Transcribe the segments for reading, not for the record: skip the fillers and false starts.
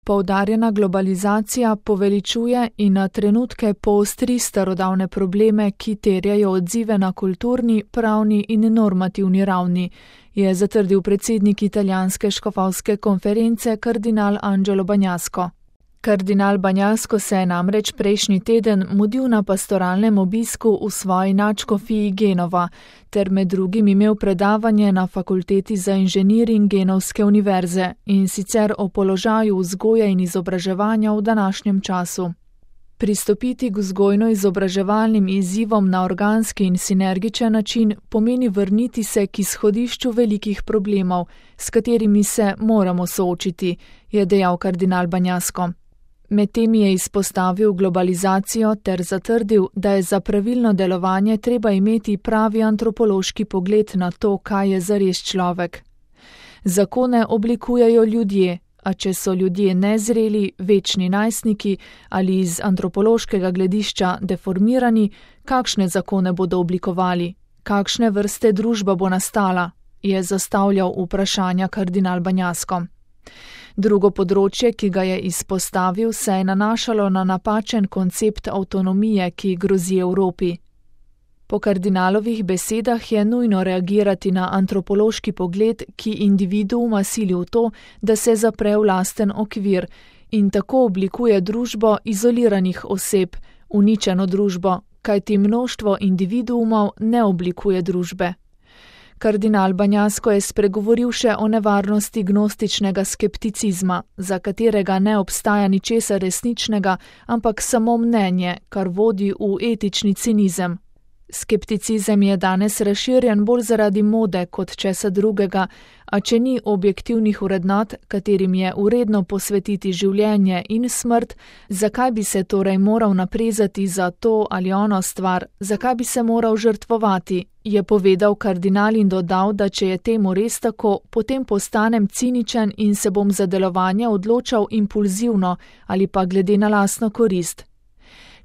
Poudarjena globalizacija poveličuje in na trenutke poostri starodavne probleme, ki terjajo odzive na kulturni, pravni in normativni ravni, je zatrdil predsednik italijanske škofovske konference kardinal Angelo Bagnasco. Kardinal Bagnasco se je namreč prejšnji teden mudil na pastoralnem obisku v svoji nadškofiji Genova ter med drugim imel predavanje na fakulteti za inženiring Genovske univerze, in sicer o položaju vzgoje in izobraževanja v današnjem času. Pristopiti k vzgojno-izobraževalnim izzivom na organski in sinergičen način pomeni vrniti se k izhodišču velikih problemov, s katerimi se moramo soočiti, je dejal kardinal Bagnasco. Medtem je izpostavil globalizacijo ter zatrdil, da je za pravilno delovanje treba imeti pravi antropološki pogled na to, kaj je zares človek. Zakone oblikujejo ljudje, a če so ljudje nezreli, večni najstniki ali iz antropološkega gledišča deformirani, kakšne zakone bodo oblikovali, kakšne vrste družba bo nastala, je zastavljal vprašanja kardinal Bagnasco. Drugo področje, ki ga je izpostavil, se je nanašalo na napačen koncept avtonomije, ki grozi Evropi. Po kardinalovih besedah je nujno reagirati na antropološki pogled, ki individuuma sili v to, da se zapre v lasten okvir in tako oblikuje družbo izoliranih oseb, uničeno družbo, kajti mnoštvo individuumov ne oblikuje družbe. Kardinal Bagnasco je spregovoril še o nevarnosti gnostičnega skepticizma, za katerega ne obstaja ničesar resničnega, ampak samo mnenje, kar vodi v etični cinizem. Skepticizem je danes razširjen bolj zaradi mode kot česa drugega, a če ni objektivnih vrednot, katerim je vredno posvetiti življenje in smrt, zakaj bi se torej moral naprezati za to ali ono stvar, zakaj bi se moral žrtvovati, je povedal kardinal in dodal, da če je temu res tako, potem postanem ciničen in se bom za delovanje odločal impulzivno ali pa glede na lastno korist.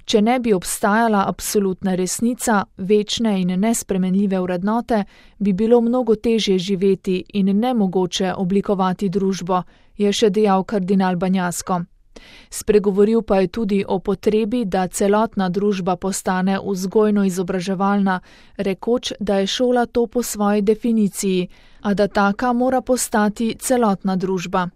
Če ne bi obstajala absolutna resnica, večne in nespremenljive vrednote, bi bilo mnogo težje živeti in nemogoče oblikovati družbo, je še dejal kardinal Bagnasco. Spregovoril pa je tudi o potrebi, da celotna družba postane vzgojno-izobraževalna, rekoč, da je šola to po svoji definiciji, a da taka mora postati celotna družba.